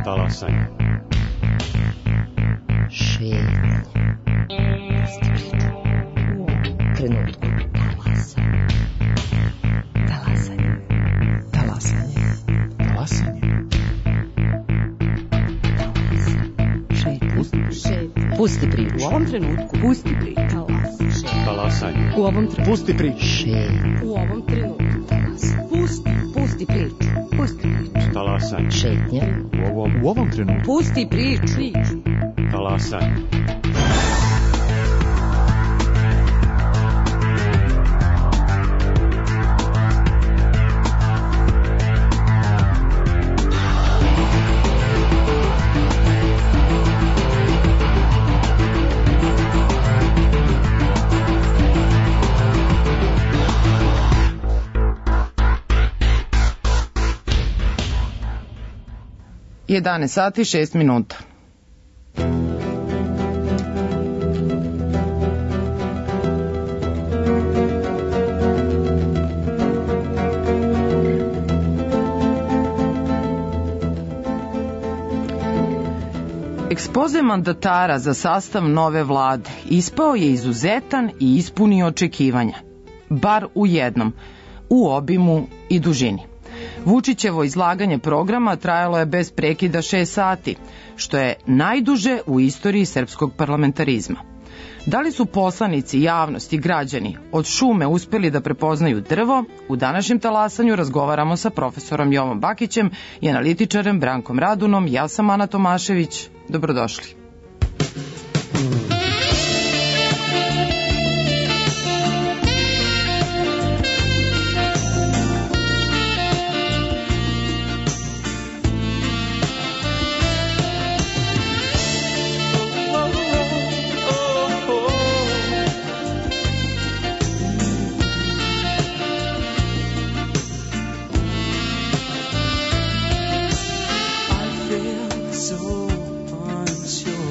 Talasanje. Šetnje. U trenutku. Talasanje. Talasanje. Talasanje. Pusti priču. U ovom trenutku. Pusti priču. Talasanje. U ovom trenutku. Pusti priču. U ovom trenutku. Pusti priču. Pusti priču. Talasanje. Šetnja. U ovom trenutku. Pusti priču. Talasanje. Jedanaest sati 6 minuta. Ekspoze mandatara za sastav nove vlade ispao je izuzetan i ispunio očekivanja, bar u jednom, u obimu i dužini. Vučićevo izlaganje programa trajalo je bez prekida 6 sati, što je najduže u istoriji srpskog parlamentarizma. Da li su poslanici, javnost i građani od šume uspeli da prepoznaju drvo? U današnjem talasanju razgovaramo sa profesorom Jovom Bakićem i analitičarem Brankom Radunom. Ja sam Ana Tomašević. Dobrodošli. So unsure.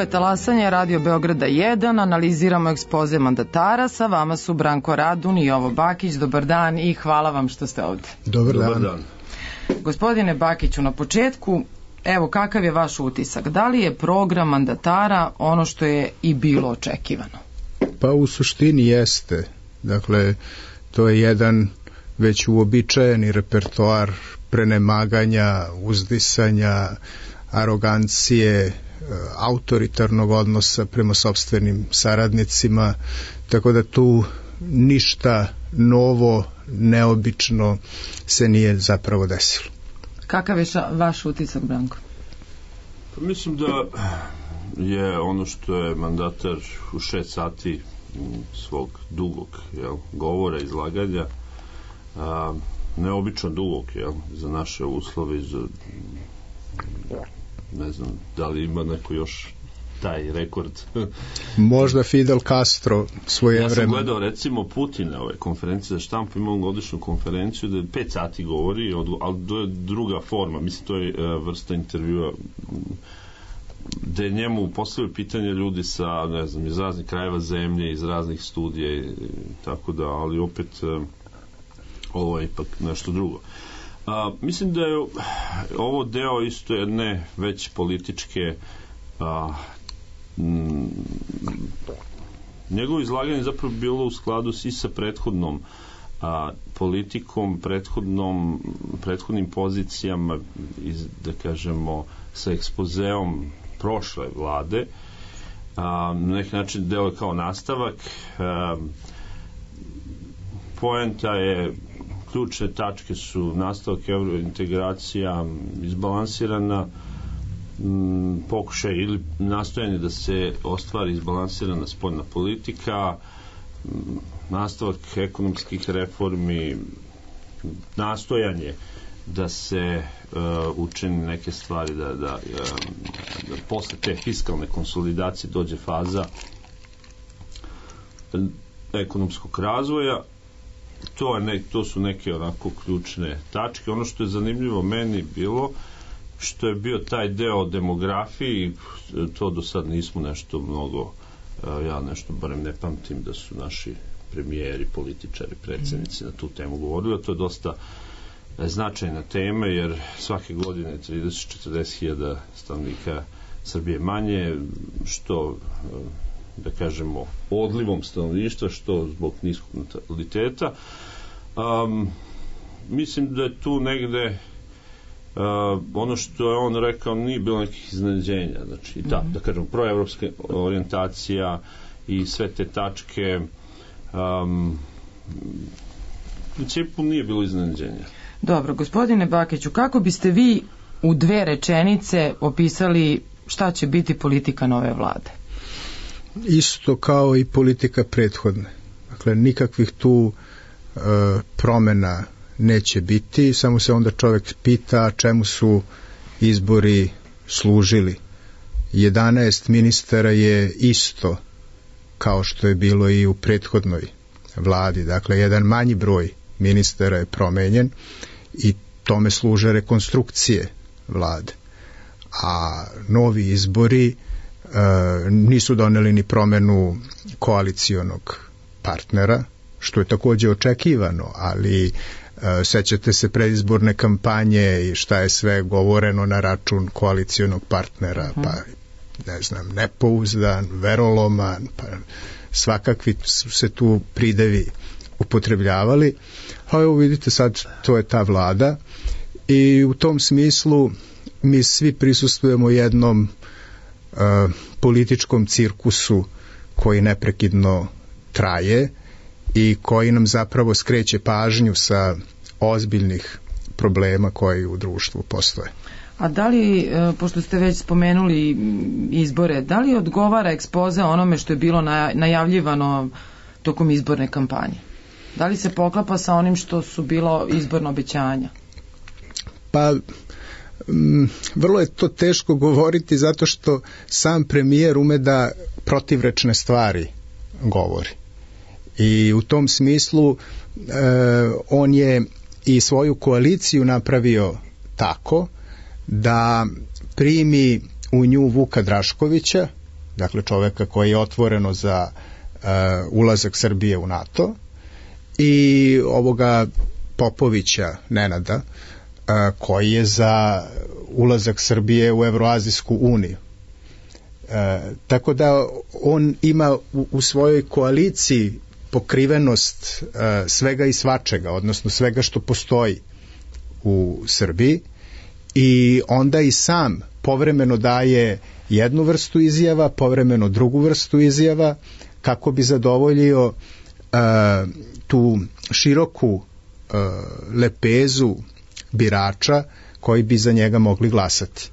je Talasanje, Radio Beograda 1, analiziramo ekspoze mandatara, sa vama su Branko Radun i Jovo Bakić. Dobar dan i hvala vam što ste ovde. Dobar dan. Gospodine Bakiću, na početku, evo kakav je vaš utisak? Da li je program mandatara ono što je i bilo očekivano? Pa u suštini jeste. Dakle, to je jedan već uobičajeni repertoar prenemaganja, uzdisanja, arogancije, autoritarnog odnosa prema sopstvenim saradnicima, tako da tu ništa novo, neobično se nije zapravo desilo. Kakav je vaš utisak, Branko? Pa mislim da je ono što je mandatar u 6 sati svog dugog govora, izlaganja, neobično dugog za naše uslove, ne znam da li ima neko još taj rekord. Možda Fidel Castro svoje vreme. Ja sam gledao recimo Putina ove konferencije za štampu, imao godišnju konferenciju da 5 sati govori, ali to je druga forma, mislim to je vrsta intervjua gde njemu postavljaju pitanje ljudi sa, ne znam, iz raznih krajeva zemlje, iz raznih studija i tako da, ali opet ovo je ipak nešto drugo. Mislim da je ovo deo isto jedne već političke njegovo izlaganje zapravo bilo u skladu i sa prethodnom politikom, prethodnim pozicijama, da kažemo, sa ekspozeom prošle vlade. Na neki način deo je kao nastavak. Poenta je, ključne tačke su nastavak eurointegracija, izbalansirana pokušaj ili nastojanje da se ostvari izbalansirana spoljna politika, nastavak ekonomskih reformi, nastojanje da se učini neke stvari, da posle te fiskalne konsolidacije dođe faza ekonomskog razvoja. To su neke onako ključne tačke. Ono što je zanimljivo meni bilo, što je bio taj deo o demografiji, to do sad nismo nešto mnogo, ja nešto barem ne pamtim da su naši premijeri, političari, predsjednici na tu temu govorili. To je dosta značajna tema, jer svake godine 30-40 hiljada stanovnika Srbije manje, što da kažemo odlivom stanovništva, što zbog niskog nataliteta. Mislim da je tu negde ono što je on rekao nije bilo nekih iznenađenja, znači da kažemo proevropska orijentacija i sve te tačke, u principu nije bilo iznenađenja. Dobro, gospodine Bakiću, kako biste vi u 2 rečenice opisali šta će biti politika nove vlade? Isto kao i politika prethodne. Dakle, nikakvih tu promena neće biti, samo se onda čovjek pita čemu su izbori služili. 11 ministara je isto kao što je bilo i u prethodnoj vladi. Dakle, jedan manji broj ministara je promenjen i tome služe rekonstrukcije vlade. A novi izbori nisu doneli ni promenu koalicionog partnera, što je takođe očekivano, ali sećate se predizborne kampanje i šta je sve govoreno na račun koalicionog partnera, pa ne znam, nepouzdan, veroloman, pa svakakvi su se tu pridevi upotrebljavali. A evo vidite sad, to je ta vlada i u tom smislu mi svi prisustvujemo jednom političkom cirkusu koji neprekidno traje i koji nam zapravo skreće pažnju sa ozbiljnih problema koji u društvu postoje. A da li, pošto ste već spomenuli izbore, da li odgovara ekspoze onome što je bilo najavljivano tokom izborne kampanje? Da li se poklapa sa onim što su bilo izborno obećanja? Pa, vrlo je to teško govoriti zato što sam premijer ume da protivrečne stvari govori. I u tom smislu on je i svoju koaliciju napravio tako da primi u nju Vuka Draškovića dakle čoveka koji je otvoreno za ulazak Srbije u NATO, i ovoga Popovića Nenada, koji je za ulazak Srbije u Evroazijsku uniju. Tako da on ima u svojoj koaliciji pokrivenost svega i svačega, odnosno svega što postoji u Srbiji, i onda i sam povremeno daje jednu vrstu izjava, povremeno drugu vrstu izjava, kako bi zadovoljio tu široku lepezu birača koji bi za njega mogli glasati.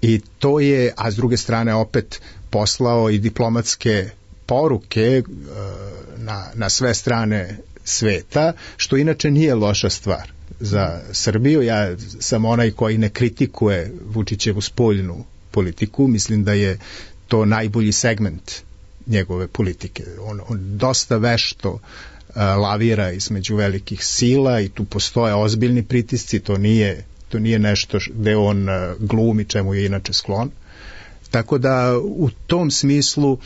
I to je, a s druge strane opet poslao i diplomatske poruke na sve strane sveta, što inače nije loša stvar za Srbiju. Ja sam onaj koji ne kritikuje Vučićevu spoljnu politiku, mislim da je to najbolji segment njegove politike. On dosta vešto lavira između velikih sila i tu postoje ozbiljni pritisci, to nije nešto gde on glumi, čemu je inače sklon. Tako da u tom smislu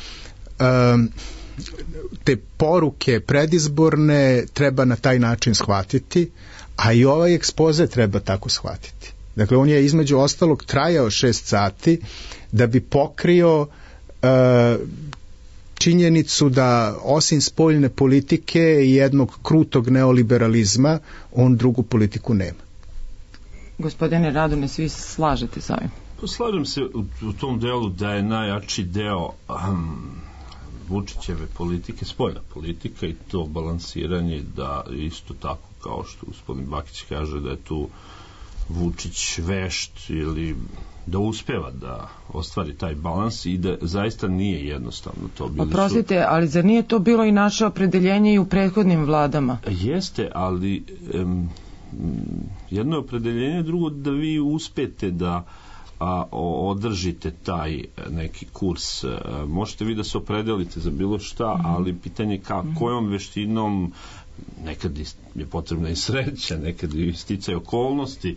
te poruke predizborne treba na taj način shvatiti, a i ovaj ekspoze treba tako shvatiti. Dakle, on je između ostalog trajao 6 sati da bi pokrio činjenicu da osim spoljne politike i jednog krutog neoliberalizma, on drugu politiku nema. Gospodine Radone, svi se slažete sa ovim? Slažem se u tom delu da je najjači deo Vučićeve politike spoljna politika, i to balansiranje, da isto tako kao što gospodin Bakić kaže da je tu Vučić vešt ili da uspeva da ostvari taj balans i da zaista nije jednostavno to. Oprostite, ali zar nije to bilo i naše opredeljenje i u prethodnim vladama? Jeste, ali jedno je opredeljenje, drugo da vi uspete da održite taj neki kurs. Možete vi da se opredelite za bilo šta, ali pitanje kojom veštinom, nekad je potrebna i sreća, nekad i sticaj okolnosti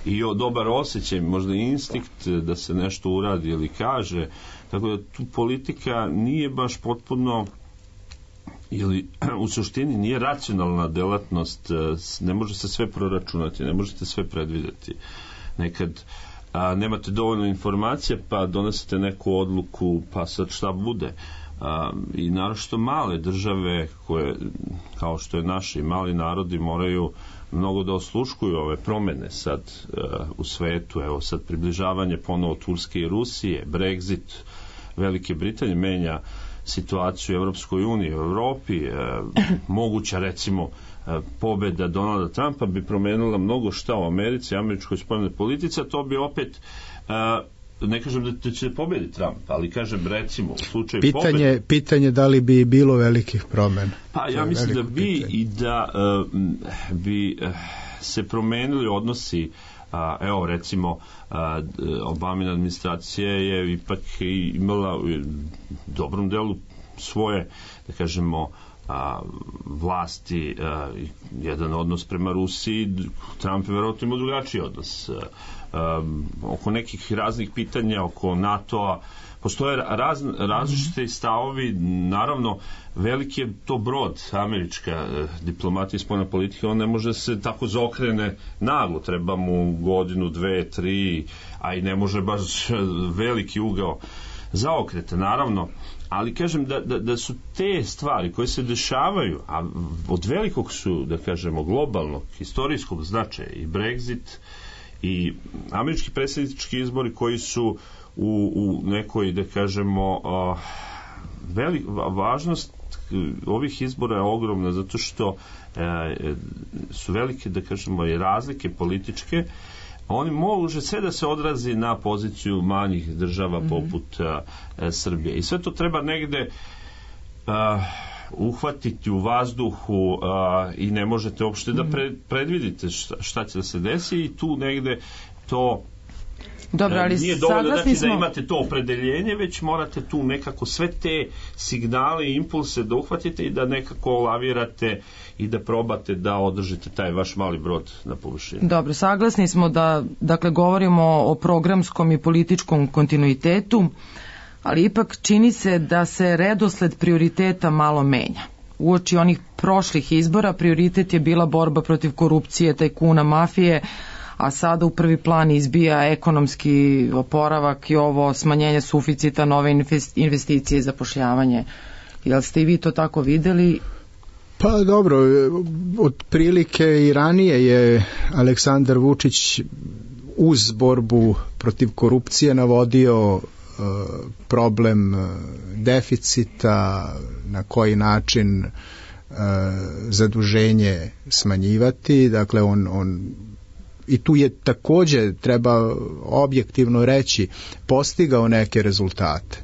i dobar osjećaj, možda instinkt da se nešto uradi ili kaže. Tako da tu politika nije baš potpuno, ili u suštini nije racionalna delatnost, ne može se sve proračunati, ne možete sve predvideti. Nekad nemate dovoljno informacija pa donesete neku odluku pa sad šta bude. I naročito male države koje, kao što je naši mali narodi, moraju mnogo da osluškuju ove promene sad u svetu. Evo sad približavanje ponovo Turske i Rusije, Brexit Velike Britanije menja situaciju u Evropskoj uniji, u Evropi, moguća recimo pobeda Donalda Trumpa bi promenila mnogo šta u Americi, američkoj spoljnoj politici, a to bi opet ne kažem da će pobediti Trump, ali kažem recimo u slučaju pobede... Pitanje da li bi bilo velikih promena. Pa ja mislim da bi pitanje. I da bi se promenili odnosi. Evo recimo Obamina administracija je ipak imala u dobrom delu svoje, da kažemo, vlasti, jedan odnos prema Rusiji. Trump je verovatno imao drugačiji odnos oko nekih raznih pitanja, oko NATO-a postoje različite stavovi. Naravno, veliki je to brod, američka diplomatija i spoljna politika, on ne može se tako zaokrene naglo, treba mu godinu, 2, 3, a i ne može baš veliki ugao zaokrete, naravno, ali kažem da su te stvari koje se dešavaju, a od velikog su, da kažemo, globalnog, historijskog značaja, i Brexit i američki predsjednički izbori koji su u nekoj, da kažemo, važnost ovih izbora je ogromna zato što su velike, da kažemo, i razlike političke. Oni može sve da se odrazi na poziciju manjih država poput Srbije. I sve to treba negde uhvatiti u vazduhu i ne možete uopšte da predvidite šta će da se desi, i tu negde to dobro, ali nije dovoljno da imate to opredeljenje, već morate tu nekako sve te signale i impulse da uhvatite i da nekako lavirate i da probate da održite taj vaš mali brod na površini. Dobro, saglasni smo da, dakle, govorimo o programskom i političkom kontinuitetu. ali ipak čini se da se redosled prioriteta malo menja. Uoči onih prošlih izbora prioritet je bila borba protiv korupcije, tajkuna, mafije, a sada u prvi plan izbija ekonomski oporavak i ovo smanjenje suficita, nove investicije i zapošljavanje. Jel ste i vi to tako videli? Pa dobro, otprilike i ranije je Aleksandar Vučić uz borbu protiv korupcije navodio problem deficita, na koji način zaduženje smanjivati. Dakle, on i tu je takođe, treba objektivno reći, postigao neke rezultate.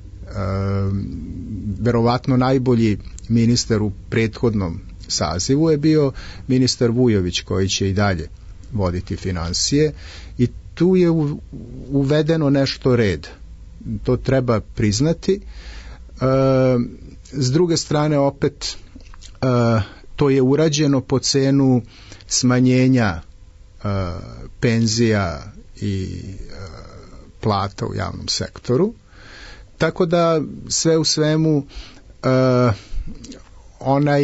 Verovatno najbolji ministar u prethodnom sazivu je bio ministar Vujović, koji će i dalje voditi finansije, i tu je uvedeno nešto red. To treba priznati. S druge strane, opet, to je urađeno po cenu smanjenja penzija i plata u javnom sektoru. Tako da sve u svemu onaj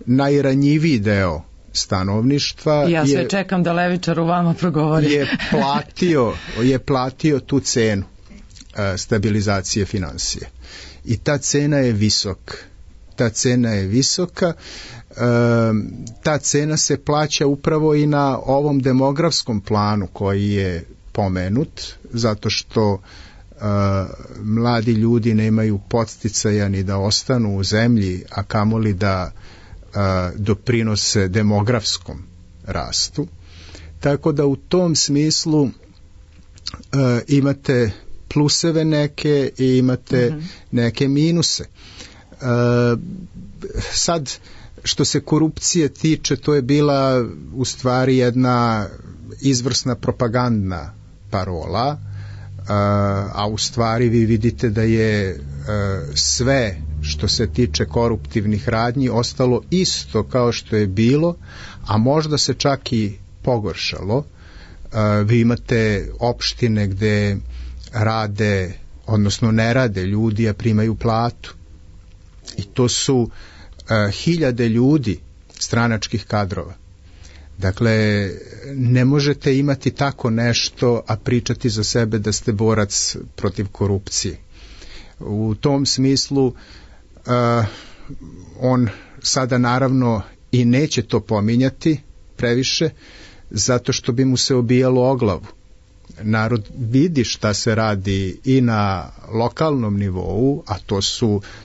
najranjiviji deo stanovništva ja sve čekam da levičar u vama progovori. je platio tu cenu stabilizacije finansije. I ta cena je visoka. Ta cena se plaća upravo i na ovom demografskom planu koji je pomenut, zato što mladi ljudi nemaju podsticaja ni da ostanu u zemlji, a kamoli da doprinose demografskom rastu. Tako da u tom smislu imate pluseve neke i imate neke minuse. Sad, što se korupcije tiče, to je bila u stvari jedna izvrsna propagandna parola, a u stvari vi vidite da je sve što se tiče koruptivnih radnji ostalo isto kao što je bilo, a možda se čak i pogoršalo. Vi imate opštine gde rade, odnosno ne rade ljudi, a primaju platu. I to su hiljade ljudi, stranačkih kadrova. Dakle, ne možete imati tako nešto, a pričati za sebe da ste borac protiv korupcije. U tom smislu on sada naravno i neće to pominjati previše, zato što bi mu se obijalo o glavu. Narod vidi šta se radi i na lokalnom nivou, a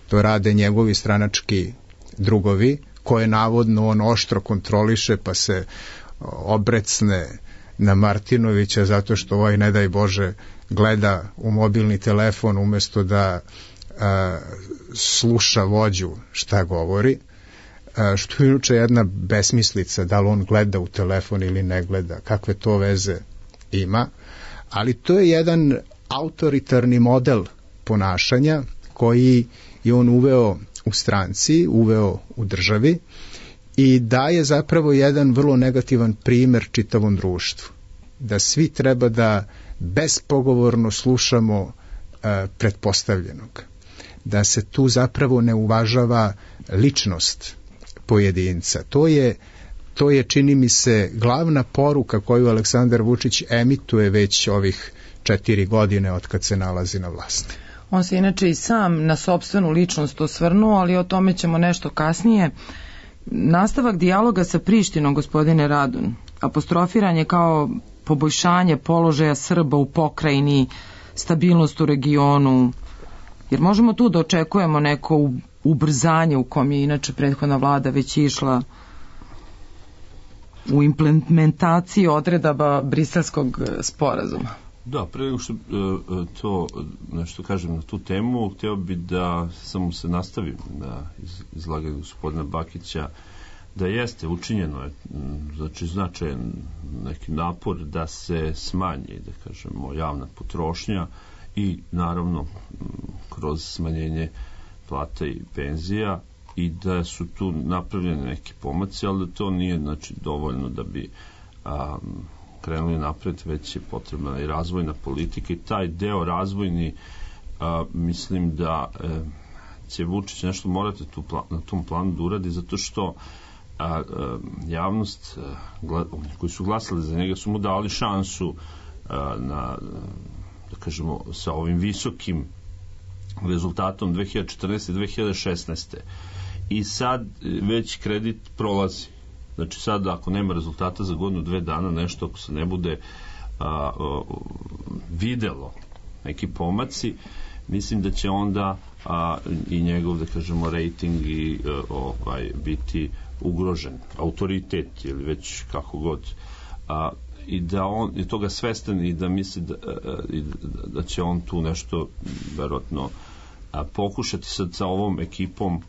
to rade njegovi stranački drugovi, koje navodno on oštro kontroliše, pa se obrecne na Martinovića zato što ovaj, ne daj Bože, gleda u mobilni telefon umesto da sluša vođu šta govori, što je inače jedna besmislica, da li on gleda u telefon ili ne gleda, kakve to veze ima, ali to je jedan autoritarni model ponašanja koji je on uveo u stranci, uveo u državi i daje zapravo jedan vrlo negativan primer čitavom društvu. Da svi treba da bespogovorno slušamo pretpostavljenog. Da se tu zapravo ne uvažava ličnost pojedinca. To je, čini mi se, glavna poruka koju Aleksandar Vučić emituje već ovih 4 godine od kad se nalazi na vlasti. On se inače i sam na sopstvenu ličnost osvrnuo, ali o tome ćemo nešto kasnije. Nastavak dijaloga sa Prištinom, gospodine Radun, apostrofiran je kao poboljšanje položaja Srba u pokrajini, stabilnost u regionu, jer možemo tu da očekujemo neko ubrzanje u kom je inače prethodna vlada već išla u implementaciji odredaba Briselskog sporazuma. Da, pre nego što to nešto kažem na tu temu, hteo bi da samo se nastavim na izlaganju gospodina Bakića, da jeste učinjeno je, znači značajan neki napor da se smanji, da kažemo, javna potrošnja i naravno kroz smanjenje plata i penzija, i da su tu napravljeni neki pomaci, ali da to nije, znači, dovoljno da bi krenuli napred, već je potrebna i razvojna politika, i taj deo razvojni mislim da će Vučić nešto morati na tom planu da uradi, zato što javnost, koji su glasali za njega, su mu dali šansu da kažemo, sa ovim visokim rezultatom 2014. i 2016. I sad već kredit prolazi. Znači sad ako nema rezultata za godinu, 2 dana, nešto ako se ne bude videlo neki pomaci, mislim da će onda i njegov, da kažemo, rating i biti ugrožen, autoritet ili već kako god, i da on je toga svestan i da misli da će on tu nešto verovatno pokušati sad sa ovom ekipom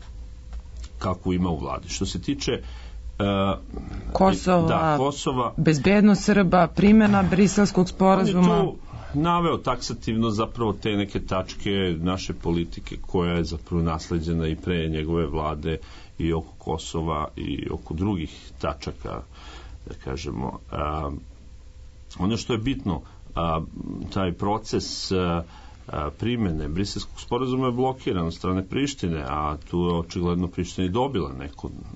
kakvu ima u vladi. Što se tiče Kosova, bezbednost Srba, primjena Briselskog sporazuma. On je tu naveo taksativno zapravo te neke tačke naše politike koja je zapravo nasleđena i pre njegove vlade i oko Kosova i oko drugih tačaka, da kažemo. Ono što je bitno, taj proces primjene Briselskog sporazuma je blokiran od strane Prištine, a tu je očigledno Priština i dobila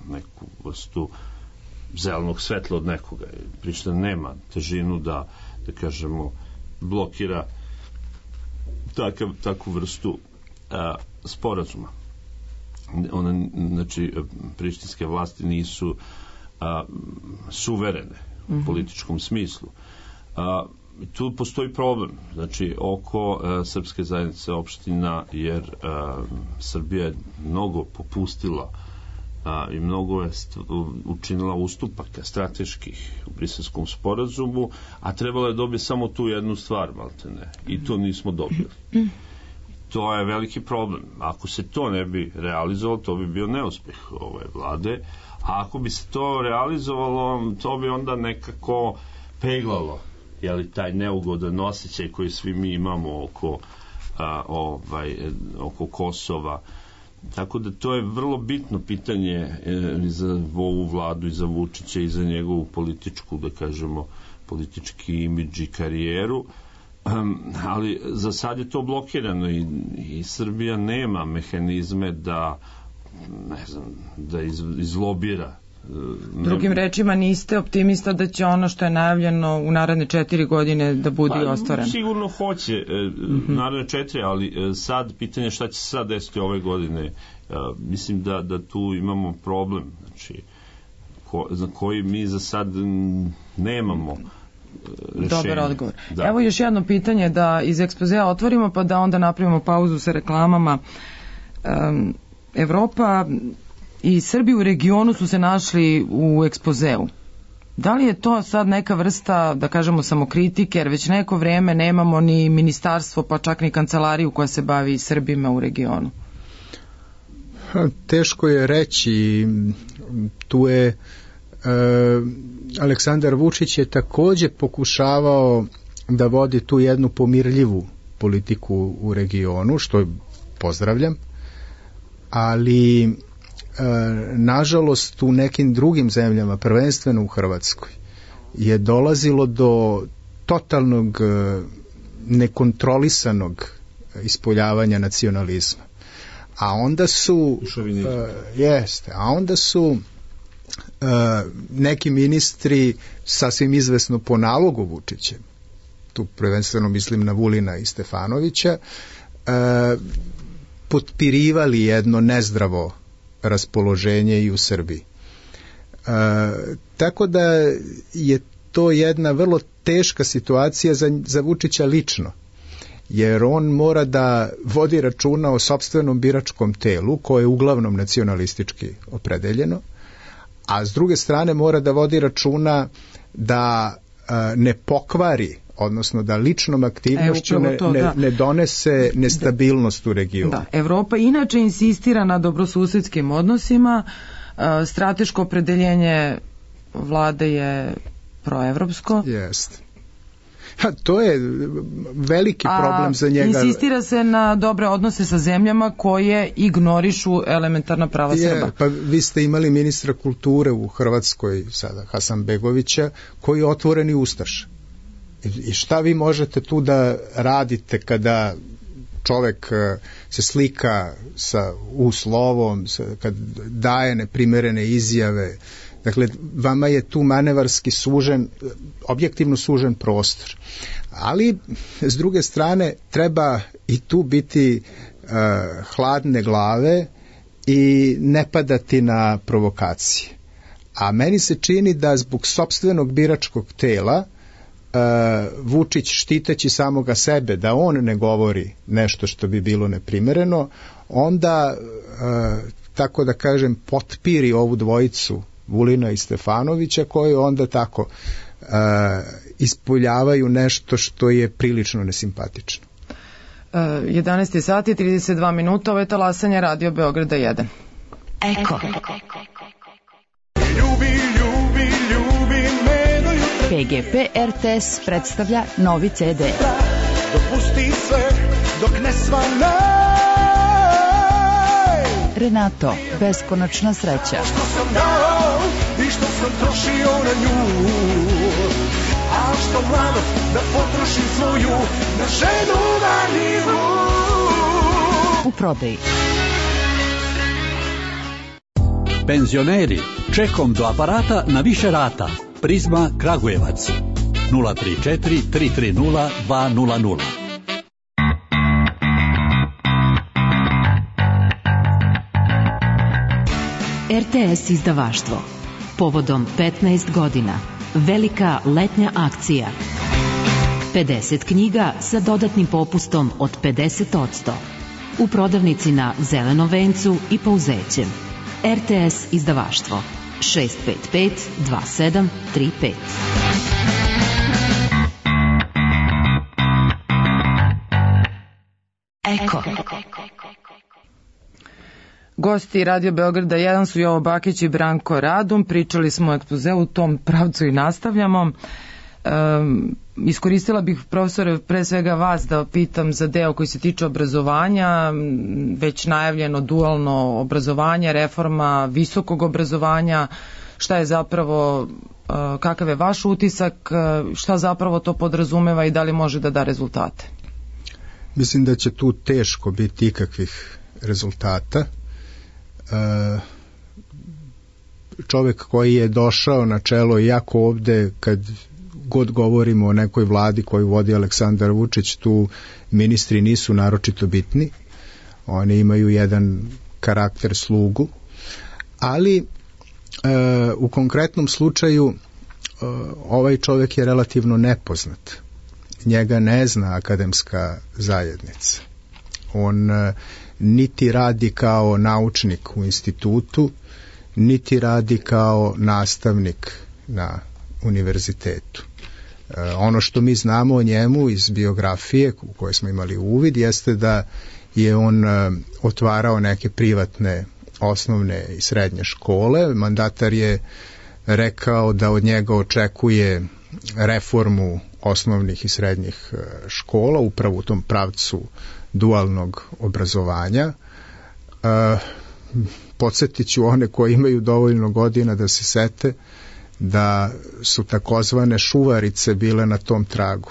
neku vrstu zelenog svetla od nekoga. Priština nema težinu da kažemo, blokira takvu vrstu sporazuma. Znači, prištinske vlasti nisu suverene u političkom smislu. Tu postoji problem, znači, oko srpske zajednice opština, jer Srbija je mnogo popustila i mnogo je učinila ustupaka strateških u Briselskom sporazumu, a trebalo je dobiti samo tu jednu stvar, maltene, i to nismo dobili. To je veliki problem. Ako se to ne bi realizovalo, to bi bio neuspeh ove vlade, a ako bi se to realizovalo, to bi onda nekako peglalo, jeli, taj neugodan osjećaj koji svi mi imamo oko Kosova. Tako da to je vrlo bitno pitanje i za ovu vladu i za Vučića i za njegovu političku, da kažemo, politički imidž i karijeru, ali za sad je to blokirano i Srbija nema mehanizme da, ne znam, da izlobira. Drugim rečima, niste optimista da će ono što je najavljeno u naredne 4 godine da bude i ostvareno? Sigurno hoće naredne 4, ali sad pitanje šta će se sad desiti ove godine. Mislim da tu imamo problem, znači, za koji mi za sad nemamo rešenje. Dobar odgovor. Da. Evo još jedno pitanje da iz ekspozea otvorimo, pa da onda napravimo pauzu sa reklamama. Evropa i Srbi u regionu su se našli u ekspozeu. Da li je to sad neka vrsta, da kažemo, samokritike, jer već neko vreme nemamo ni ministarstvo, pa čak ni kancelariju koja se bavi Srbima u regionu? Teško je reći. Tu je Aleksandar Vučić je takođe pokušavao da vodi tu jednu pomirljivu politiku u regionu, što pozdravljam, ali nažalost u nekim drugim zemljama, prvenstveno u Hrvatskoj, je dolazilo do totalnog nekontrolisanog ispoljavanja nacionalizma. A onda su neki ministri sasvim izvesno po nalogu Vučića, tu prvenstveno mislim na Vulina i Stefanovića, potpirivali jedno nezdravo raspoloženje i u Srbiji. Tako da je to jedna vrlo teška situacija za Vučića lično, jer on mora da vodi računa o sopstvenom biračkom telu, koje je uglavnom nacionalistički opredeljeno, a s druge strane mora da vodi računa da ne pokvari, odnosno da ličnom aktivnošću ne donese nestabilnost u regionu. Da, Evropa inače insistira na dobrosusedskim odnosima, strateško opredeljenje vlade je proevropsko. Jeste. To je veliki problem za njega. Insistira se na dobre odnose sa zemljama koje ignorišu elementarna prava Srba. Pa vi ste imali ministra kulture u Hrvatskoj sada, Hasanbegovića, koji je otvoreni ustaš. I šta vi možete tu da radite kada čovek se slika sa uslovom, kad daje neprimerene izjave. Dakle, vama je tu manevarski sužen, objektivno sužen prostor. Ali, s druge strane, treba i tu biti hladne glave i ne padati na provokacije. A meni se čini da zbog sopstvenog biračkog tela Vučić, štiteći samoga sebe, da on ne govori nešto što bi bilo neprimereno, onda, tako da kažem, potpiri ovu dvojicu Vulina i Stefanovića, koji onda tako ispoljavaju nešto što je prilično nesimpatično. 11 sati i 32 minuta, ovo je talasanje Radio Beograda 1. Eko. PGP RTS predstavlja novi CD. Dopusti sve dok ne svane. Renato, beskonačna sreća. Što sam dao i što sam trošio na nju, a što mladost da potrošim svoju na ženu marljivu. U prodaji. Penzioneri, čekom do aparata na više rata. Prizma Kragujevac 034 330 200. RTS izdavaštvo. Povodom 15 godina. Velika letnja akcija. 50 knjiga sa dodatnim popustom od 50%. U prodavnici na Zelenom vencu i Pouzećem. RTS izdavaštvo. 655-2735. Eko. Gosti Radio Beograda 1 su Jovo Bakić i Branko Radun. Pričali smo o ekspozeu, u tom pravcu i nastavljamo. Iskoristila bih, profesore, pre svega vas da pitam za deo koji se tiče obrazovanja, već najavljeno dualno obrazovanje, reforma visokog obrazovanja. Šta je zapravo, kakav je vaš utisak, šta zapravo to podrazumeva i da li može da da rezultate? Mislim da će tu teško biti ikakvih rezultata. Čovek koji je došao na čelo, iako ovde kad god govorimo o nekoj vladi koju vodi Aleksandar Vučić, tu ministri nisu naročito bitni, oni imaju jedan karakter slugu, ali u konkretnom slučaju ovaj čovjek je relativno nepoznat. Njega ne zna akademska zajednica. On niti radi kao naučnik u institutu, niti radi kao nastavnik na univerzitetu. Ono što mi znamo o njemu iz biografije u kojoj smo imali uvid jeste da je on otvarao neke privatne osnovne i srednje škole. Mandatar je rekao da od njega očekuje reformu osnovnih i srednjih škola, upravo u tom pravcu dualnog obrazovanja. Podsjetit ću one koji imaju dovoljno godina da se sete da su takozvane šuvarice bile na tom tragu.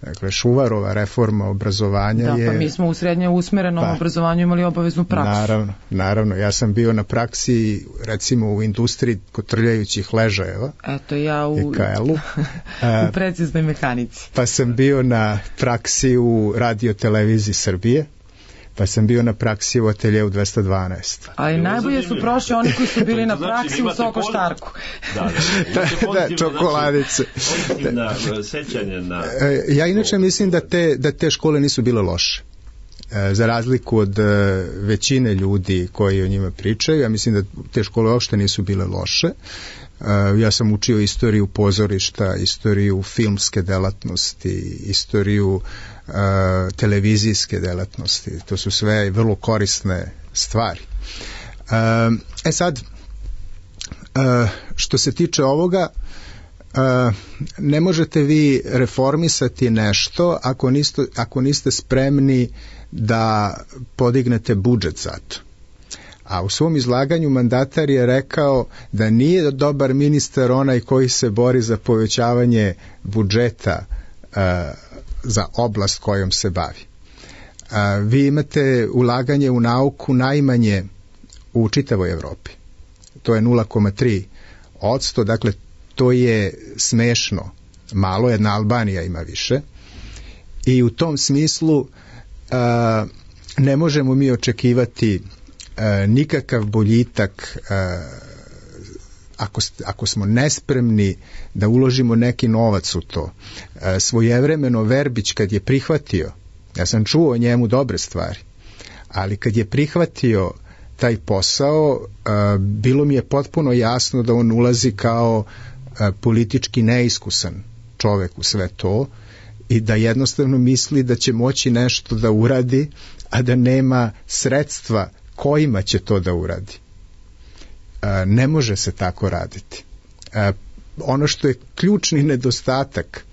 Dakle, Šuvarova reforma obrazovanja je... Da, pa mi smo u srednje usmerenom obrazovanju imali obaveznu praksu. Naravno. Ja sam bio na praksi, recimo, u industriji kotrljajućih ležajeva. Eto, ja u preciznoj mehanici. Pa sam bio na praksi u Radio-televiziji Srbije. Pa sam bio na praksi u ateljeu 212. Ali najbolje su prošli oni koji su bili na praksi u Sokoštarku. Da, čokoladice. Ja inače mislim da te škole nisu bile loše. Za razliku od većine ljudi koji o njima pričaju, ja mislim da te škole uopšte nisu bile loše. Ja sam učio istoriju pozorišta, istoriju filmske delatnosti, istoriju televizijske delatnosti. To su sve vrlo korisne stvari. Sad, što se tiče ovoga, ne možete vi reformisati nešto ako niste spremni da podignete budžet za to. A u svom izlaganju mandatar je rekao da nije dobar ministar onaj koji se bori za povećavanje budžeta za oblast kojom se bavi. Vi imate ulaganje u nauku najmanje u čitavoj Evropi. To je 0,3%, dakle to je smešno malo, jedna Albanija ima više. I u tom smislu ne možemo mi očekivati nikakav boljitak ako smo nespremni da uložimo neki novac u to. Svojevremeno Verbić kad je prihvatio, ja sam čuo o njemu dobre stvari, ali kad je prihvatio taj posao, bilo mi je potpuno jasno da on ulazi kao politički neiskusan čovek u sve to i da jednostavno misli da će moći nešto da uradi, a da nema sredstva kojima će to da uradi. Ne može se tako raditi. Ono što je ključni nedostatak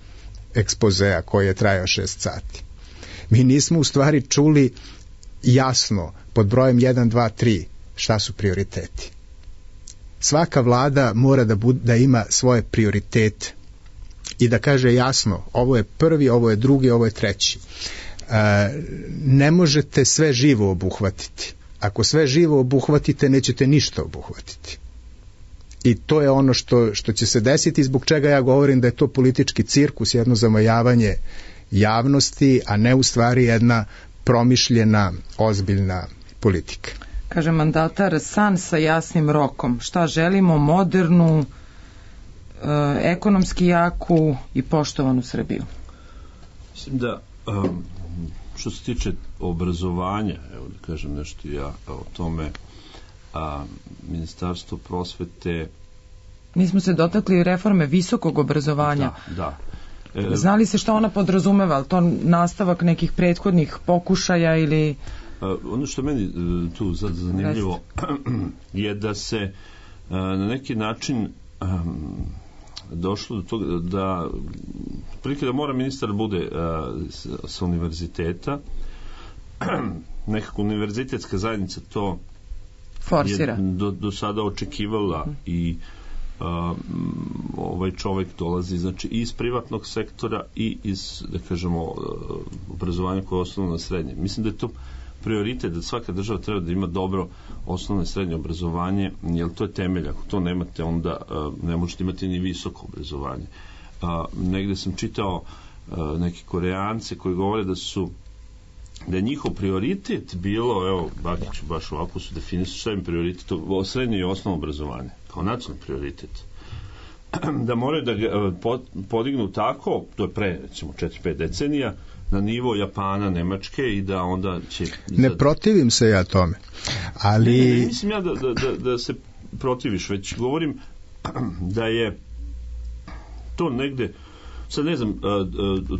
ekspozea koji je trajao 6 sati. Mi nismo u stvari čuli jasno pod brojem 1, 2, 3 šta su prioriteti. Svaka vlada mora da ima svoje prioritete i da kaže jasno, ovo je prvi, ovo je drugi, ovo je treći. Ne možete sve živo obuhvatiti. Ako sve živo obuhvatite, nećete ništa obuhvatiti. I to je ono što će se desiti, zbog čega ja govorim da je to politički cirkus, jedno zamajavanje javnosti, a ne u stvari jedna promišljena, ozbiljna politika. Kaže mandatar, san sa jasnim rokom. Šta želimo? Modernu, ekonomski jaku i poštovanu Srbiju. Mislim da što se tiče obrazovanja, evo da kažem nešto ja o tome, Ministarstvo prosvete... Mi smo se dotakli reforme visokog obrazovanja. Da. Znali se šta ona podrazumeva, ali to nastavak nekih prethodnih pokušaja ili... Ono što meni tu zanimljivo je da se na neki način došlo do toga da prilike da mora ministar bude sa univerziteta, nekako univerzitetska zajednica to forsira. Je do sada očekivala i ovaj čovjek dolazi znači iz privatnog sektora i iz, da kažemo, obrazovanja koje je osnovno na srednje. Mislim da je to prioritet da svaka država treba da ima dobro osnovno i srednje obrazovanje, jer to je temelj. Ako to nemate, onda ne možete imati ni visoko obrazovanje. Negde sam čitao neki Koreance koji govore da je njihov prioritet bilo, evo, Bakić baš ovako su definisali šta im prioritet, srednje i osnovno obrazovanje, kao nacionalni prioritet. Da moraju da podignu tako, to je pre, recimo, 4-5 decenija, na nivo Japana, Nemačke i da onda će... Ne protivim se ja tome, ali... Ne mislim ja da se protiviš, već govorim da je to negde, sad ne znam,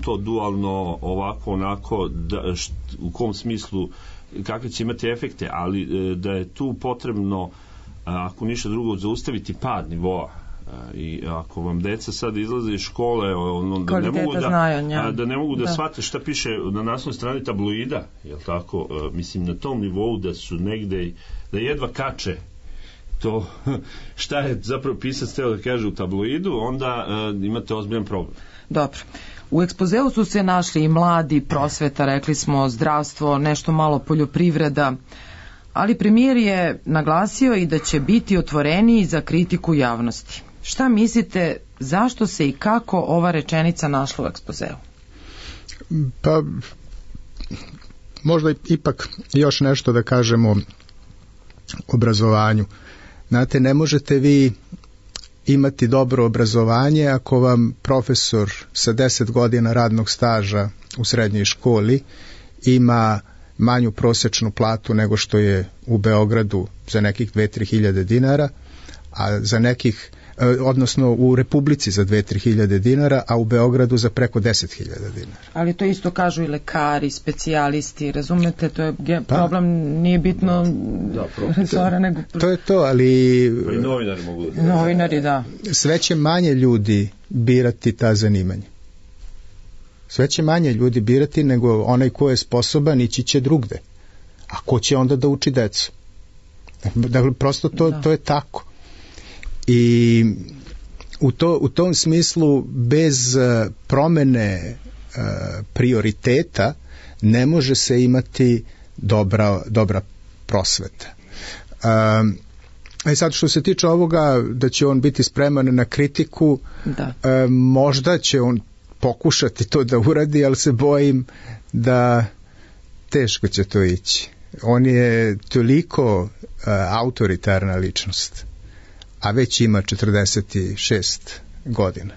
to dualno, ovako, onako, u kom smislu, kakve će imati efekte, ali da je tu potrebno, ako ništa drugo, zaustaviti pad nivoa. I ako vam deca sad izlaze iz škole, da ne mogu da shvate šta piše na naslovnoj strani tabloida, jel tako, mislim na tom nivou da su negde, da jedva kače to šta je zapravo pisac teo da kaže u tabloidu, onda imate ozbiljan problem. Dobro. U ekspozeu su se našli i mladi, prosveta, rekli smo, zdravstvo, nešto malo poljoprivreda, ali premijer je naglasio i da će biti otvoreniji za kritiku javnosti. Šta mislite, zašto se i kako ova rečenica našla u ekspozeu? Pa, možda ipak još nešto da kažemo o obrazovanju. Znate, ne možete vi imati dobro obrazovanje ako vam profesor sa 10 godina radnog staža u srednjoj školi ima manju prosečnu platu nego što je u Beogradu za nekih 2-3 hiljade dinara, a za nekih, odnosno u Republici za 2-3 hiljade dinara, a u Beogradu za preko 10.000 dinara. Ali to isto kažu i lekari, specijalisti, razumete, to je problem, nije bitno resora, nego... To je to, ali... Pa i novinari mogu da... Novinari, da. Sve će manje ljudi birati ta zanimanja. Sve će manje ljudi birati nego onaj ko je sposoban ići će drugde. A ko će onda da uči decu? Dakle, prosto to je tako. I u tom smislu bez promene prioriteta, ne može se imati dobra prosveta. Sad što se tiče ovoga da će on biti spreman na kritiku, možda će on pokušati to da uradi, ali se bojim da teško će to ići. On je toliko autoritarna ličnost, a već ima 46 godina,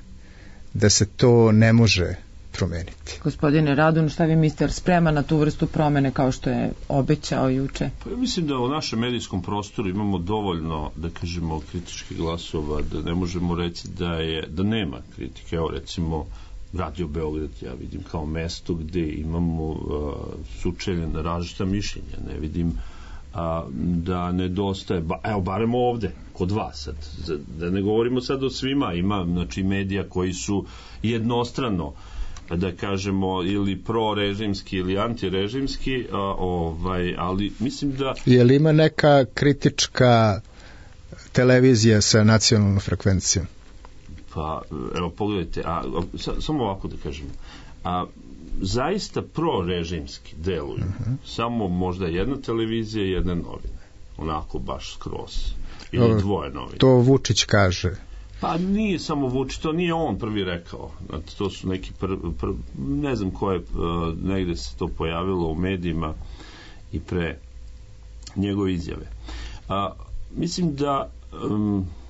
da se to ne može promeniti. Gospodine Radun, šta vi mislite, spreman na tu vrstu promene kao što je obećao juče? Pa ja mislim da u našem medijskom prostoru imamo dovoljno, da kažemo, kritičkih glasova, da ne možemo reći da nema kritike. Evo recimo Radio Beograd ja vidim kao mesto gde imamo sučeljena različita mišljenja. Ne vidim da nedostaje, evo barem ovde kod vas sad, da ne govorimo sad o svima, ima znači medija koji su jednostrano, da kažemo, ili prorežimski ili antirežimski, ali mislim da... Je li ima neka kritička televizija sa nacionalnom frekvencijom? Pa, evo, pogledajte, samo ovako da kažemo, zaista prorežimski deluju, samo možda jedna televizija i jedne novine, onako baš skroz, ili dvoje novine. To Vučić kaže. Pa nije samo Vučić, to nije on prvi rekao. To su neki ne znam ko je, negde se to pojavilo u medijima i pre njegove izjave. Mislim da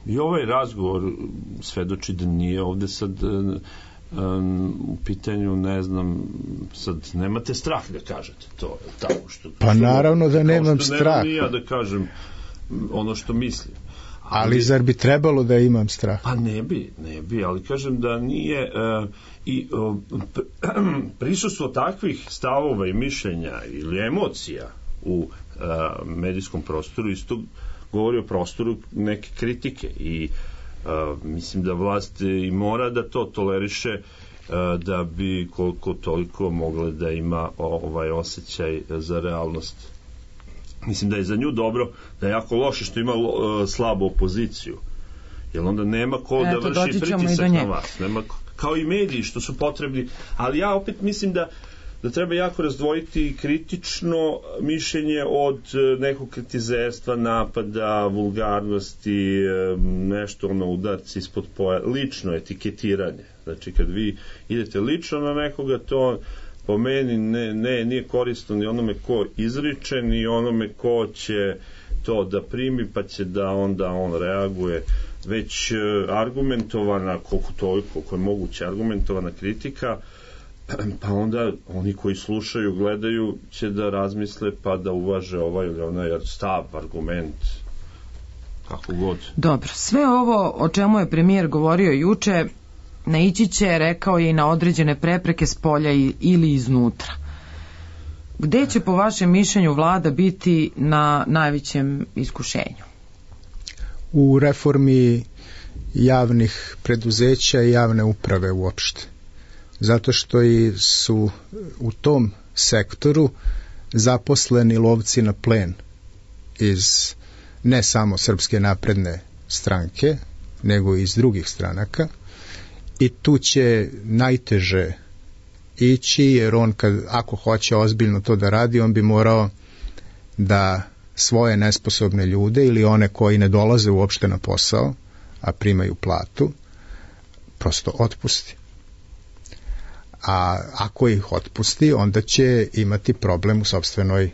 i ovaj razgovor svedoči da nije ovde sad u pitanju, ne znam, sad nemate strah da kažete to, tako što... Pa naravno da nemam strah. Kao što nemam ni ja da kažem ono što mislim. Ali zar bi trebalo da imam strah? Pa ne bi, ali kažem da nije prisustvo takvih stavova i mišljenja ili emocija u medijskom prostoru isto govori o prostoru neke kritike i mislim da vlast i mora da to toleriše da bi koliko toliko mogla da ima ovaj osjećaj za realnost. Mislim da je za nju dobro, da je jako loše što ima slabu opoziciju, jer onda nema ko da vrši pritisak na vas, nema, kao i mediji što su potrebni, ali ja opet mislim da treba jako razdvojiti kritično mišljenje od nekog kritizerstva, napada, vulgarnosti, nešto udarci ispod poja, lično etiketiranje. Znači kad vi idete lično na nekoga, to po meni nije korisno ni onome ko izriče, ni onome ko će to da primi, pa će da onda on reaguje, već argumentovana, koliko je moguće argumentovana kritika, pa onda oni koji slušaju, gledaju, će da razmisle pa da uvaže ovaj ili onaj stav, argument, kako god. Dobro, sve ovo o čemu je premijer govorio juče naići će, rekao je, i na određene prepreke s polja ili iznutra. Gde će po vašem mišljenju vlada biti na najvećem iskušenju? U reformi javnih preduzeća i javne uprave uopšte. Zato što su u tom sektoru zaposleni lovci na plen iz ne samo Srpske napredne stranke, nego i iz drugih stranaka, i tu će najteže ići, jer on ako hoće ozbiljno to da radi, on bi morao da svoje nesposobne ljude ili one koji ne dolaze uopšte na posao, a primaju platu, prosto otpusti. A ako ih otpusti, onda će imati problem u sopstvenoj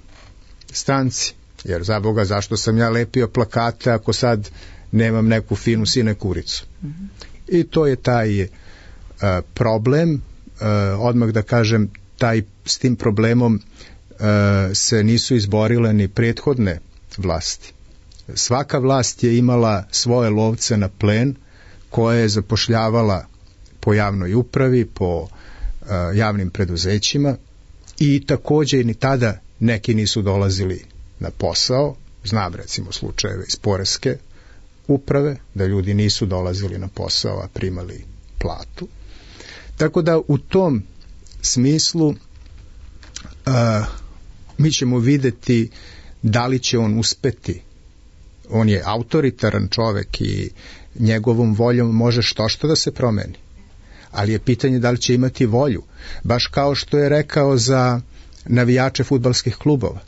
stranci. Jer za Boga, zašto sam ja lepio plakate ako sad nemam neku finu sinekuricu? I to je taj problem. Odmah da kažem, s tim problemom se nisu izborile ni prethodne vlasti. Svaka vlast je imala svoje lovce na plen koje je zapošljavala po javnoj upravi, po javnim preduzećima, i takođe ni tada neki nisu dolazili na posao. Znam recimo slučajeve iz poreske uprave da ljudi nisu dolazili na posao, a primali platu. Tako da u tom smislu mi ćemo videti da li će on uspeti. On je autoritaran čovek i njegovom voljom može što da se promeni. Ali je pitanje da li će imati volju. Baš kao što je rekao za navijače fudbalskih klubova.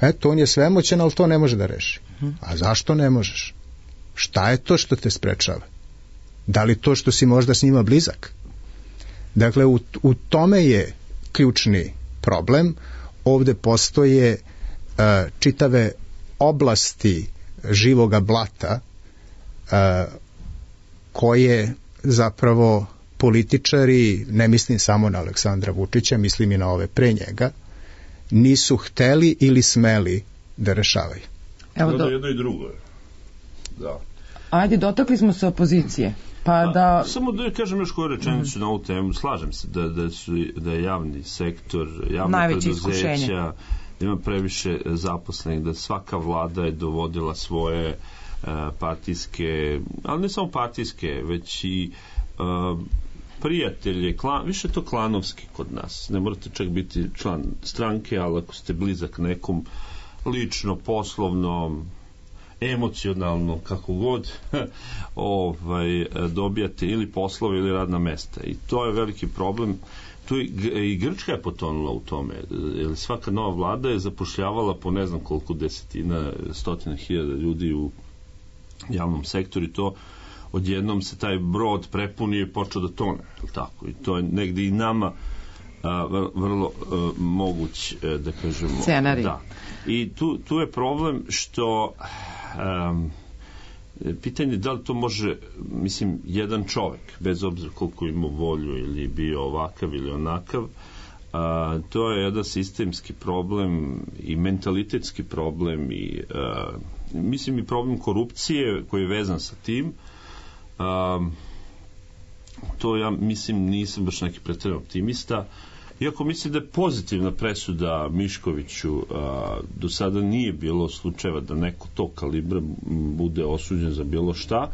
Eto, on je svemoćan, ali to ne može da reši. A zašto ne možeš? Šta je to što te sprečava? Da li to što si možda s njima blizak? Dakle, u tome je ključni problem. Ovde postoje čitave oblasti živoga blata koje zapravo političari, ne mislim samo na Aleksandra Vučića, mislim i na ove pre njega, nisu hteli ili smeli da rešavaju. Evo jedno i drugo. Da. Ajde, dotakli smo se opozicije. Samo da kažem još koju rečenicu na ovu temu. Slažem se da je javni sektor, javna preduzeća, da ima previše zaposlenih, da svaka vlada je dovodila svoje partijske, ali ne samo partijske, već i prijatelje, više to klanovski kod nas. Ne morate čak biti član stranke, ali ako ste blizak nekom lično, poslovno, emocionalno, kako god, dobijate ili poslove ili radna mesta. I to je veliki problem. Tu i Grčka je potonula u tome. Jer svaka nova vlada je zapošljavala po ne znam koliko desetina, stotina hiljada ljudi u javnom sektoru i to odjednom se taj brod prepunio i počeo da tone. Tako? I to je negdje i nama vrlo moguć, da kažemo. Scenarij. Da. I tu je problem što pitanje da li to može, mislim, jedan čovjek, bez obzira koliko ima volju ili bio ovakav ili onakav, to je jedan sistemski problem i mentalitetski problem i mislim i problem korupcije koji je vezan sa tim. To ja mislim nisam baš neki pretjeran optimista, iako mislim da je pozitivna presuda Miškoviću, do sada nije bilo slučajeva da neko to kalibra bude osuđen za bilo šta.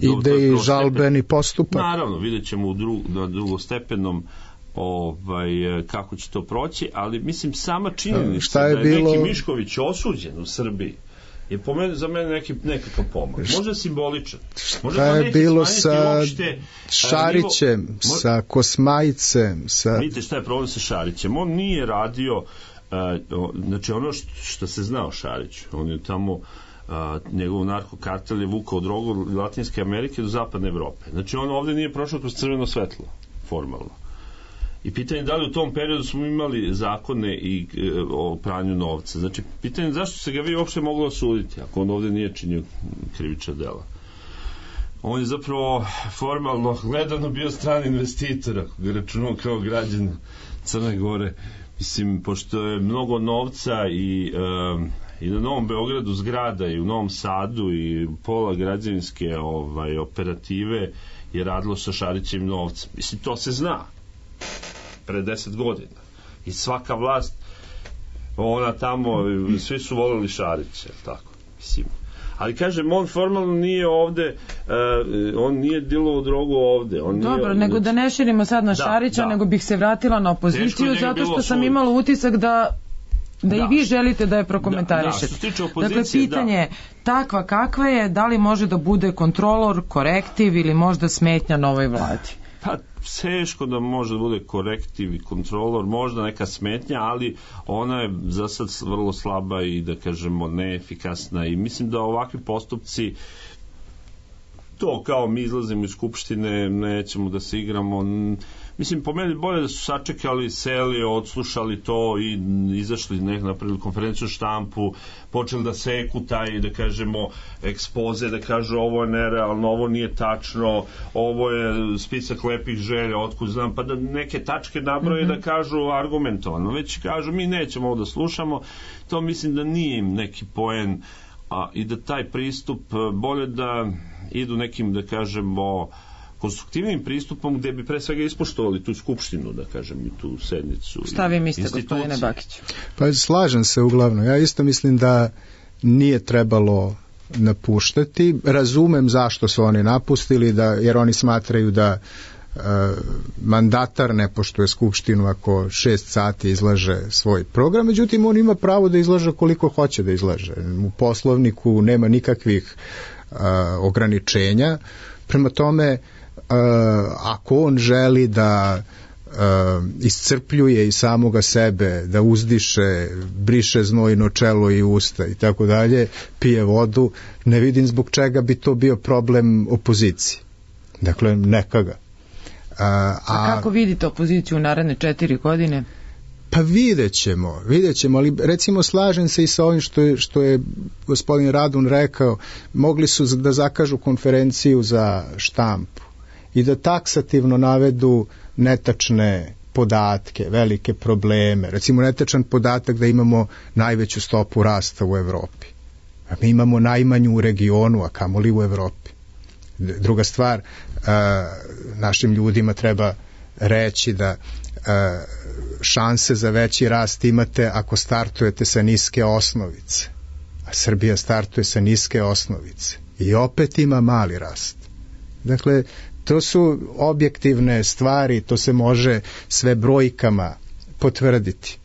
Ide i žalbeni postupak. Naravno, vidjet ćemo na drugostepenom kako će to proći, ali mislim sama činjenica da je neki Mišković osuđen u Srbiji je za mene nekakav pomak. Možda simboličan. Šta je bilo sa Šarićem, sa Kosmajicem? Vidite šta je problem sa Šarićem. On nije radio, znači ono što se zna o Šariću, on je tamo njegov narkokartel je vukao drogu od Latinske Amerike do Zapadne Evrope. Znači on ovdje nije prošao kroz crveno svetlo, formalno. I pitanje da li u tom periodu smo imali zakone i o pranju novca. Znači, pitanje zašto se ga vi uopšte moglo osuditi ako on ovdje nije činio krivična dela. On je zapravo formalno gledano bio strani investitor, ako ga računao kao građan Crne Gore. Mislim, pošto je mnogo novca i na Novom Beogradu zgrada i u Novom Sadu i pola građevinske operative je radilo sa Šarićevim novcem. Mislim, to se zna pre 10 godina. I svaka vlast, ona tamo, svi su volili Šarića, tako, mislim. Ali kažem, on formalno nije ovde, on nije dilovao drogu ovde. Dobro, nego da ne širimo sad na Šarića, nego bih se vratila na opoziciju, zato što sam imala utisak da i vi želite da je prokomentarišete. Dakle, pitanje takva kakva je, da li može da bude kontrolor, korektiv ili možda smetnja novoj vladi? Pa teško da može da bude korektiv i kontrolor, možda neka smetnja, ali ona je za sad vrlo slaba i da kažemo neefikasna i mislim da ovakvi postupci to kao mi izlazimo iz skupštine, nećemo da se igramo, mislim po meni bolje da su sačekali, seli, odslušali to i izašli napravili konferenciju štampu, počeli da seku taj, da kažemo, ekspoze, da kažu ovo je nerealno, ovo nije tačno, ovo je spisak lepih želja, otkud znam, pa da neke tačke nabroje da kažu argumentovano, već kažu mi nećemo ovo da slušamo, to mislim da nije im neki poen i da taj pristup bolje da idu nekim, da kažemo, konstruktivnim pristupom gdje bi pre svega ispoštovali tu skupštinu, da kažem, i tu sednicu. Šta vi mislite, gospodine Bakić? Pa slažem se uglavnom. Ja isto mislim da nije trebalo napuštati. Razumem zašto su oni napustili, jer oni smatraju da mandatar ne poštuje skupštinu ako 6 sati izlaže svoj program, međutim on ima pravo da izlaže koliko hoće da izlaže. U Poslovniku nema nikakvih ograničenja. Prema tome, ako on želi da iscrpljuje i samoga sebe, da uzdiše, briše znojno čelo i usta i tako dalje, pije vodu, ne vidim zbog čega bi to bio problem opoziciji. Dakle, neka ga. A kako vidite opoziciju u naredne 4 godine? Pa vidjet ćemo, ali recimo slažem se i sa ovim što je gospodin Radun rekao, mogli su da zakažu konferenciju za štampu i da taksativno navedu netačne podatke, velike probleme. Recimo netačan podatak da imamo najveću stopu rasta u Evropi. A mi imamo najmanju u regionu, a kamoli u Evropi. Druga stvar, našim ljudima treba reći da šanse za veći rast imate ako startujete sa niske osnovice. A Srbija startuje sa niske osnovice. I opet ima mali rast. Dakle, to su objektivne stvari, to se može sve brojkama potvrditi.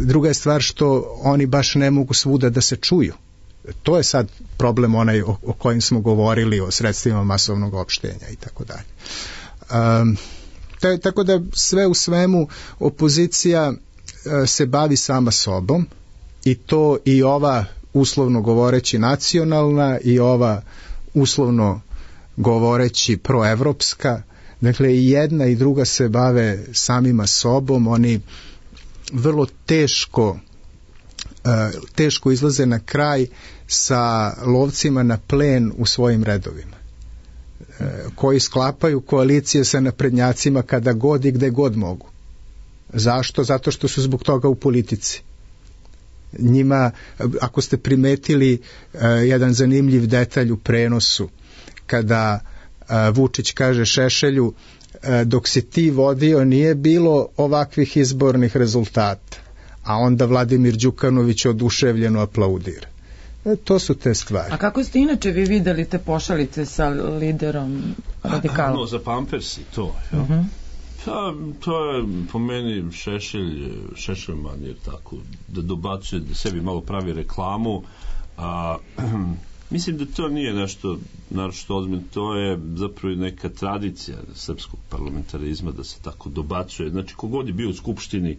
Druga je stvar što oni baš ne mogu svuda da se čuju. To je sad problem onaj o kojim smo govorili, o sredstvima masovnog opštenja i tako dalje. Tako da sve u svemu opozicija se bavi sama sobom i to i ova uslovno govoreći nacionalna i ova uslovno govoreći proevropska, dakle i jedna i druga se bave samima sobom, oni vrlo teško izlaze na kraj sa lovcima na plen u svojim redovima, koji sklapaju koalicije sa naprednjacima kada god i gde god mogu. Zašto? Zato što su zbog toga u politici. Njima, ako ste primetili jedan zanimljiv detalj u prenosu, kada Vučić kaže Šešelju, dok si ti vodio nije bilo ovakvih izbornih rezultata, a onda Vladimir Đukanović oduševljeno aplaudira. To su te stvari. A kako ste inače vi videli te pošalice sa liderom radikala? No, za Pampersi to. Ja. Uh-huh. To je po meni Šešelman je tako, da dobacuje, da sebi malo pravi reklamu. Mislim da to nije nešto ozbiljno, to je zapravo neka tradicija srpskog parlamentarizma da se tako dobacuje. Znači, kogod je bio u Skupštini,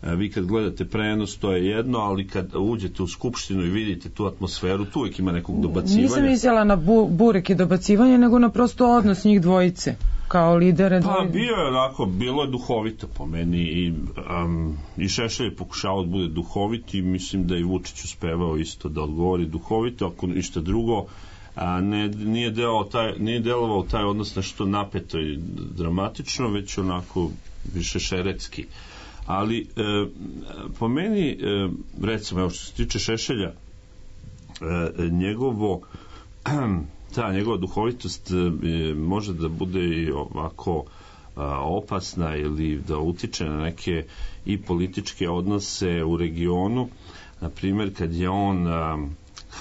vi kad gledate prenos, to je jedno, ali kad uđete u Skupštinu i vidite tu atmosferu, tu uvijek ima nekog dobacivanja. Nisam mislila na burek i dobacivanje, nego na prosto odnos njih dvojice, kao lidere. Pa bio je onako, bilo je duhovito po meni i Šešelj je pokušao da bude duhovit i mislim da i Vučić uspevao isto da odgovori duhovito, ako ništa drugo, nije delovao taj odnos nešto napeto i dramatično, već onako više šeretski. Ali po meni, recimo, evo što se tiče Šešelja, njegova duhovitost može da bude i ovako opasna ili da utiče na neke i političke odnose u regionu. Na primjer, kad je on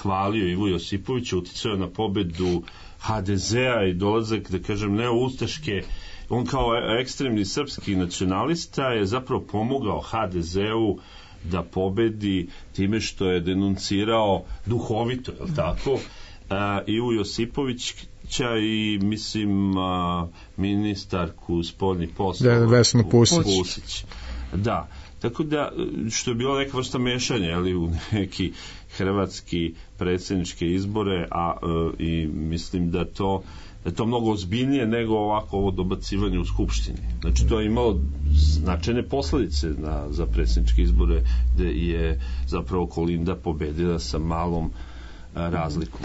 hvalio Ivu Josipovića, uticao na pobedu HDZ-a i dolazak, da kažem, neoustaške, on kao ekstremni srpski nacionalista je zapravo pomogao HDZ-u da pobedi time što je denuncirao duhovito, je li tako, Ivu Josipovića i mislim ministarku spoljnih poslova Vesnu Pusić. Da, tako da što je bilo neka vrsta mešanja, ali u neki hrvatski predsjedničke izbore, i mislim da to mnogo ozbiljnije nego ovako ovo dobacivanje u Skupštini. Znači to je imalo značajne posledice za predsjedničke izbore, gde je zapravo Kolinda pobedila sa malom razlikom.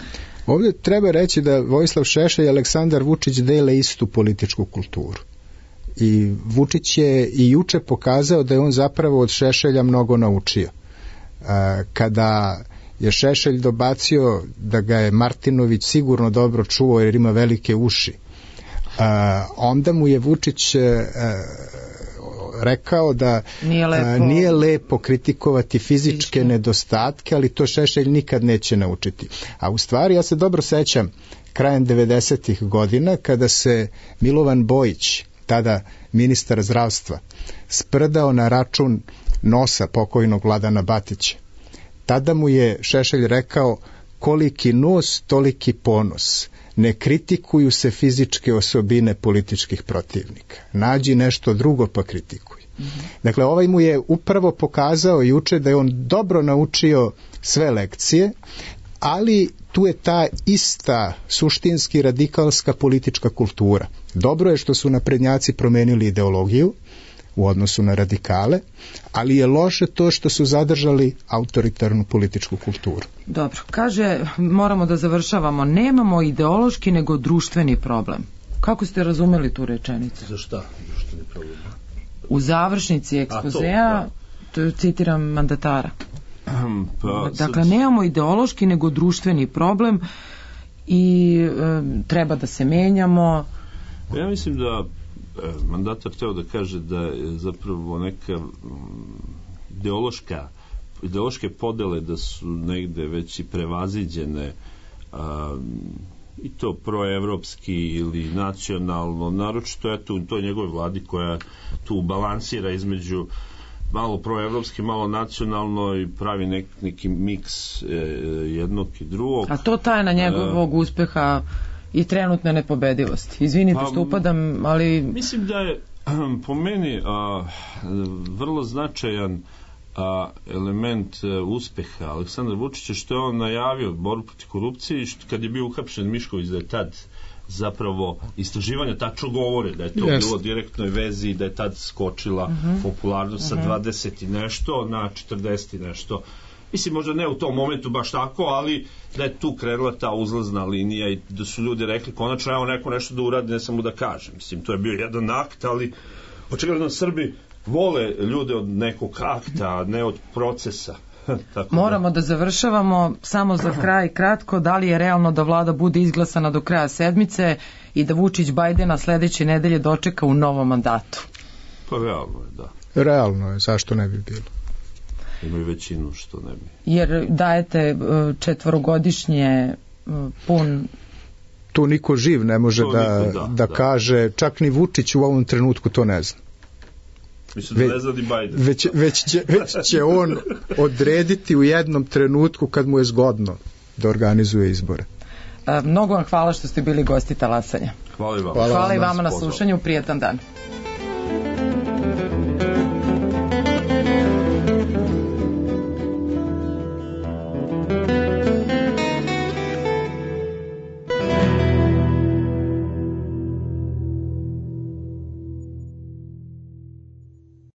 Ovdje treba reći da Vojislav Šešelj i Aleksandar Vučić dele istu političku kulturu. I Vučić je i juče pokazao da je on zapravo od Šešelja mnogo naučio. Kada je Šešelj dobacio da ga je Martinović sigurno dobro čuo jer ima velike uši, onda mu je Vučić rekao da nije lepo kritikovati fizičke nedostatke, ali to Šešelj nikad neće naučiti. A u stvari ja se dobro sećam krajem 90-ih godina kada se Milovan Bojić, tada ministar zdravstva, sprdao na račun nosa pokojnog Vladana Batića. Tada mu je Šešelj rekao: koliki nos, toliki ponos. ne kritikuju se fizičke osobine političkih protivnika. Nađi nešto drugo pa kritikuj. Dakle, ovaj mu je upravo pokazao juče da je on dobro naučio sve lekcije, ali tu je ta ista suštinski radikalska politička kultura. Dobro je što su naprednjaci promenili ideologiju u odnosu na radikale, ali je loše to što su zadržali autoritarnu političku kulturu. Dobro, kaže, moramo da završavamo, nemamo ideološki nego društveni problem. Kako ste razumeli tu rečenicu? Za šta društveni problem? U završnici ekspozea, to citiram mandatara. Dakle, nemamo ideološki nego društveni problem i treba da se menjamo. Ja mislim da mandatar teo da kaže da je zapravo neka ideološke podele da su negde već i prevaziđene, i to proevropski ili nacionalno, naročito eto u toj njegove vladi koja tu balansira između malo proevropski, malo nacionalno i pravi neki miks jednog i drugog. A to tajna njegovog uspeha i trenutne nepobedivosti. Izvinite što upadam, ali... Mislim da je po meni vrlo značajan element uspeha Aleksandra Vučića što je on najavio borbu protiv korupcije i kad je bio uhapšen Mišković, da je tad zapravo istraživanja tačno govore da je to bilo direktnoj vezi i da je tad skočila popularnost sa 20 i nešto na 40 i nešto. Mislim, možda ne u tom momentu baš tako, ali da je tu krenula ta uzlazna linija i da su ljudi rekli konačno evo neko nešto da uradi, ne samo da kaže. Mislim, to je bio jedan akt, ali očigledno Srbi vole ljude od nekog akta, a ne od procesa. Tako moramo da završavamo, samo za kraj kratko, da li je realno da vlada bude izglasana do kraja sedmice i da Vučić Bajdena sledeće nedelje dočeka u novom mandatu? Pa realno je, da. Realno je, zašto ne bi bilo? Imaju većinu, što ne bi. Jer dajete četvorogodišnje pun... Tu niko živ ne može da kaže, čak ni Vučić u ovom trenutku to ne zna. Mislim da ne zna ni Bajden. Već će on odrediti u jednom trenutku kad mu je zgodno da organizuje izbore. Mnogo vam hvala što ste bili gosti Talasanja. Hvala i vama. Hvala i vama na slušanju, prijetan dan.